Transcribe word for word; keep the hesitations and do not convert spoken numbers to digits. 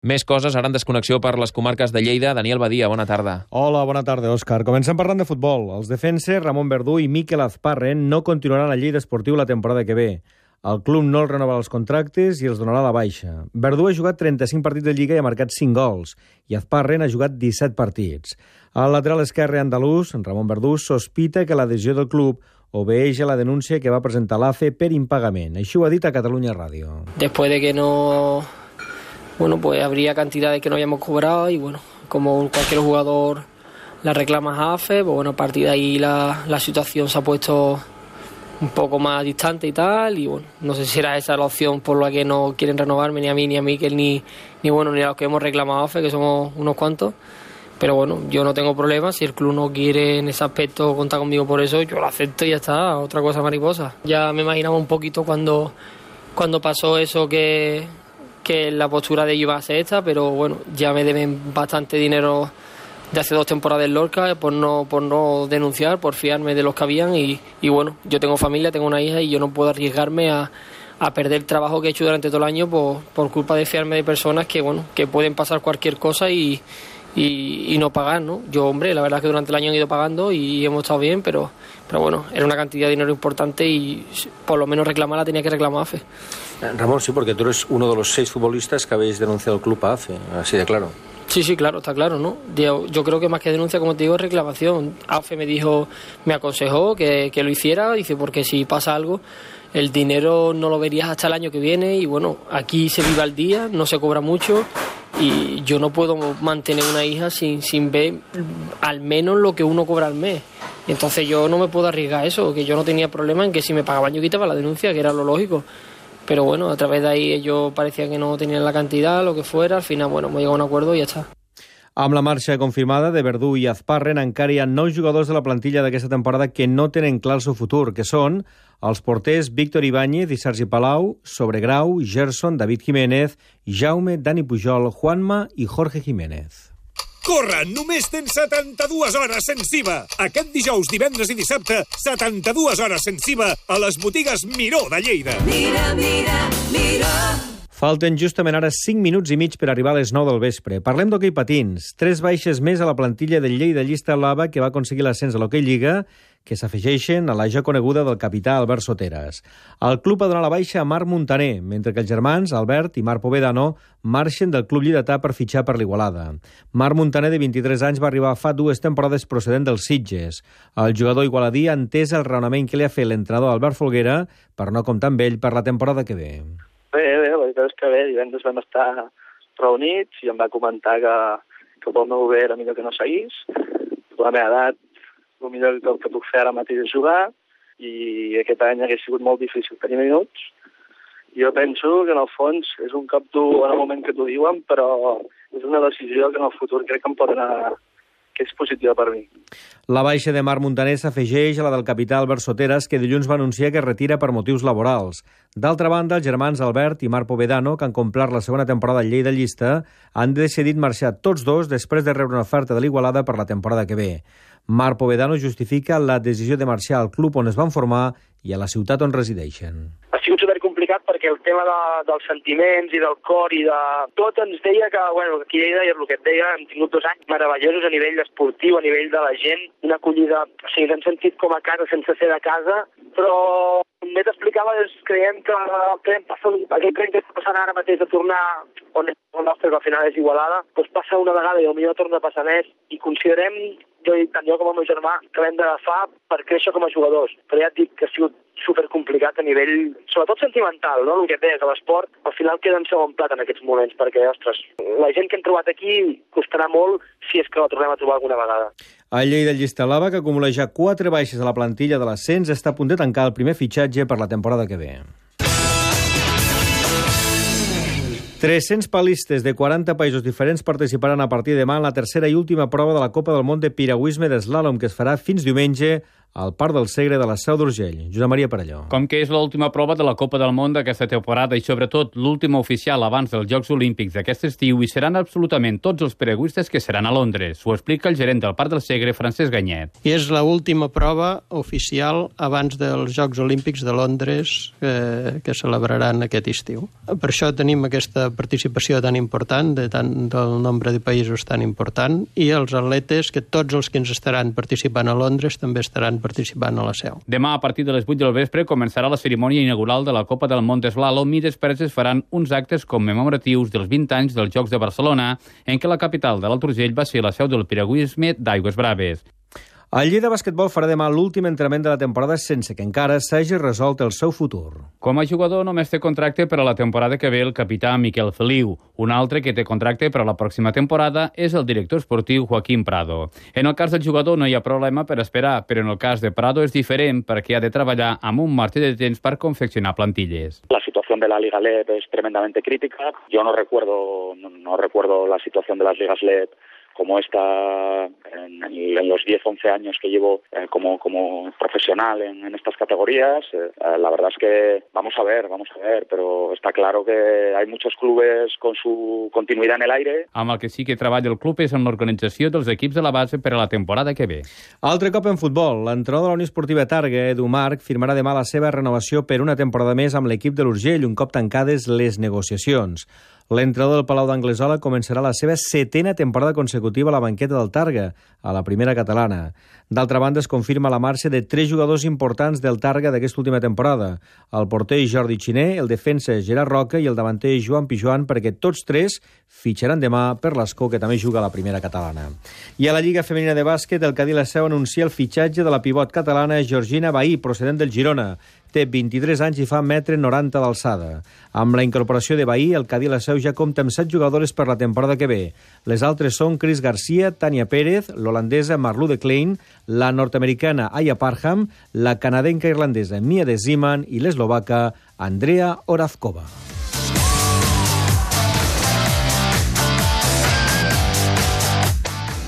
Més coses ara en desconnexió per les comarques de Lleida. Daniel Badia, bona tarda. Hola, bona tarda, Òscar. Comencem parlant de futbol. Els defenses Ramon Verdú i Mikel Azparren no continuaran a Lleida Esportiu la temporada que ve. El club no els renova els contractes i els donarà la baixa. Verdú ha jugat trenta-cinc partits de Lliga i ha marcat cinc gols, i Azparren ha jugat disset partits. El lateral esquerre andalús, Ramon Verdú, sospita que la decisió del club obeeix a la denúncia que va presentar l'A F E per impagament. Així ho ha dit a Catalunya Ràdio. Después de que no... Bueno, pues habría cantidades que no hayamos cobrado y bueno, como cualquier jugador la reclama a A F E, pues bueno, a partir de ahí la, la situación se ha puesto un poco más distante y tal, y bueno, no sé si será esa la opción por la que no quieren renovarme ni a mí, ni a Mikel, ni, ni bueno, ni a los que hemos reclamado a A F E, que somos unos cuantos. Pero bueno, yo no tengo problema, si el club no quiere en ese aspecto contar conmigo por eso, yo lo acepto y ya está, otra cosa mariposa. Ya me imaginaba un poquito cuando, cuando pasó eso que... que la postura de ellos iba a ser esta, pero bueno, ya me deben bastante dinero de hace dos temporadas en Lorca por no, por no denunciar, por fiarme de los que habían y, y bueno, yo tengo familia, tengo una hija y yo no puedo arriesgarme a, a perder el trabajo que he hecho durante todo el año por, por culpa de fiarme de personas que bueno, que pueden pasar cualquier cosa y, y, y no pagar, ¿no? Yo, hombre, la verdad es que durante el año he ido pagando y hemos estado bien, pero, pero bueno, era una cantidad de dinero importante y por lo menos reclamarla tenía que reclamar A F E. Ramón, sí, porque tú eres uno de los seis futbolistas que habéis denunciado al club a A F E, así de claro. Sí, sí, claro, está claro, ¿no? Yo, yo creo que más que denuncia, como te digo, es reclamación. A F E me dijo, me aconsejó que, que lo hiciera, dice, porque si pasa algo, el dinero no lo verías hasta el año que viene y bueno, aquí se vive al día, no se cobra mucho y yo no puedo mantener una hija sin, sin ver al menos lo que uno cobra al mes. Entonces yo no me puedo arriesgar a eso, que yo no tenía problema en que si me pagaban yo quitaba la denuncia, que era lo lógico. Pero bueno, a través de ahí ellos parecía que no tenían la cantidad, lo que fuera. Al final, bueno, hemos llegado a un acuerdo y ya està. Amb la marxa confirmada de Verdú i Azparren, encara hi ha nou jugadors de la plantilla d'aquesta temporada que no tenen clar el seu futur, que són els porters Víctor Ibáñez i Sergi Palau, Sobregrau, Gerson, David Jiménez, Jaume, Dani Pujol, Juanma i Jorge Jiménez. Corre! Només tens setanta-dues hores sense I V A. Aquest dijous, divendres i dissabte, setanta-dues hores sense I V A a les botigues Miró de Lleida. Mira, mira, mira. Falten justament ara cinc minuts i mig per arribar a les nou del vespre. Parlem d'hoquei patins. Tres baixes més a la plantilla del Lleida Llista Blava que va aconseguir l'ascens a l'Hoquei Lliga, que s'afegeixen a la ja coneguda del capità Albert Soteras. El club ha donat la baixa a Marc Muntaner, mentre que els germans, Albert i Marc Povedano, marxen del club lleidatà per fitxar per l'Igualada. Marc Muntaner, de vint-i-tres anys, va arribar fa dues temporades procedent dels Sitges. El jugador igualadí ha entès el raonament que li ha fet l'entrenador Albert Folguera per no comptar amb ell per la temporada que ve. Bé, bé, la veritat és que bé, divendres vam estar reunits i em va comentar que, que pel meu bé era millor que no seguís. La meva edat, el millor que, que puc fer ara mateix és jugar i aquest any hauria sigut molt difícil tenir minuts. Jo penso que en el fons és un cop dur en el moment que t'ho diuen, però és una decisió que en el futur crec que em pot anar, que és positiva per mi. La baixa de Marc Muntaner s'afegeix a la del capità Albert Soteras, que dilluns va anunciar que es retira per motius laborals. D'altra banda, els germans Albert i Marc Povedano, que han complert la segona temporada al Lleida Llista, han decidit marxar tots dos després de rebre una oferta de l'Igualada per la temporada que ve. Marc Povedano justifica la decisió de marxar al club on es van formar i a la ciutat on resideixen. Ha sigut supercomplicat perquè el tema de, dels sentiments i del cor i de tot ens deia que, bueno, aquí a Lleida és el que et deia, hem tingut dos anys meravellosos a nivell esportiu, a nivell de la gent, una acollida, o sigui, ens hem sentit com a casa sense ser de casa, però com bé t'explicava, creiem que creiem passa, aquell tren que està passant ara mateix de tornar on és el nostre, que al final és Igualada, doncs passa una vegada i potser torna a passar més i considerem, jo i tant jo com el meu germà, que l'hem d'agafar per créixer com a jugadors. Però ja et dic que ha sigut supercomplicat a nivell, sobretot sentimental, no? El que et deies, a l'esport, al final queda en segon plat en aquests moments, perquè, ostres, la gent que hem trobat aquí costarà molt si és que la tornem a trobar alguna vegada. El Lleida Llista Blava, que acumula ja quatre baixes a la plantilla de l'ascens, està a punt de tancar el primer fitxatge per la temporada que ve. tres-cents palistes de quaranta països diferents participaran a partir de demà en la tercera i última prova de la Copa del Món de Piragüisme d'Eslàlom, que es farà fins diumenge al Parc del Segre de la Seu d'Urgell. Josep Maria Parelló. Com que és l'última prova de la Copa del Món d'aquesta temporada i, sobretot, l'última oficial abans dels Jocs Olímpics d'aquest estiu, hi seran absolutament tots els peregüistes que seran a Londres. Ho explica el gerent del Parc del Segre, Francesc Ganyet. I és l'última prova oficial abans dels Jocs Olímpics de Londres que, que celebraran aquest estiu. Per això tenim aquesta participació tan important, de tant del nombre de països tan important, i els atletes, que tots els que ens estaran participant a Londres també estaran participant a la Seu. Demà, a partir de les vuit del vespre, començarà la cerimònia inaugural de la Copa del Món d'Eslalom i després es faran uns actes commemoratius dels vint anys dels Jocs de Barcelona, en què la capital de l'Alt Urgell va ser la seu del piragüisme d'Aigües Braves. El Lleida Basquetbol farà demà l'últim entrenament de la temporada sense que encara s'hagi resolt el seu futur. Com a jugador només té contracte per a la temporada que ve el capità Miquel Feliu. Un altre que té contracte per a la pròxima temporada és el director esportiu Joaquín Prado. En el cas del jugador no hi ha problema per esperar, però en el cas de Prado és diferent perquè ha de treballar amb un marge de temps per confeccionar plantilles. La situación de la Liga L E D es tremendamente crítica. Yo no recuerdo, no, no recuerdo la situación de las ligas L E D como esta en, en los diez once años que llevo eh, como, como profesional en, en estas categorías. Eh, la verdad es que vamos a ver, vamos a ver, pero está claro que hay muchos clubes con su continuidad en el aire. Amb el que sí que treballa el club és en l'organització dels equips de la base per a la temporada que ve. Altre cop en futbol, l'entrenador de la Unió Esportiva Targa, Edu Marc, firmarà demà la seva renovació per una temporada més amb l'equip de l'Urgell, un cop tancades les negociacions. L'entrenador del Palau d'Anglesola començarà la seva setena temporada consecutiva a la banqueta del Targa, a la primera catalana. D'altra banda, es confirma la marxa de tres jugadors importants del Targa d'aquesta última temporada: el porter Jordi Xiner, el defensa Gerard Roca i el davanter Joan Pijuan, perquè tots tres fitxaran demà per l'Escó, que també juga a la primera catalana. I a la Lliga Femenina de Bàsquet, el Cadí La Seu anuncia el fitxatge de la pivot catalana Georgina Bahí, procedent del Girona. Té vint-i-tres anys i fa un metre noranta d'alçada. Amb la incorporació de Bahí, el Cadí La Seu ja compta amb set jugadores per la temporada que ve. Les altres són Cris Garcia, Tània Pérez, l'holandesa Marlou de Klein, la nord-americana Aya Parham, la canadenca irlandesa Mia de Zeeman i l'eslovaca Andrea Orazkova.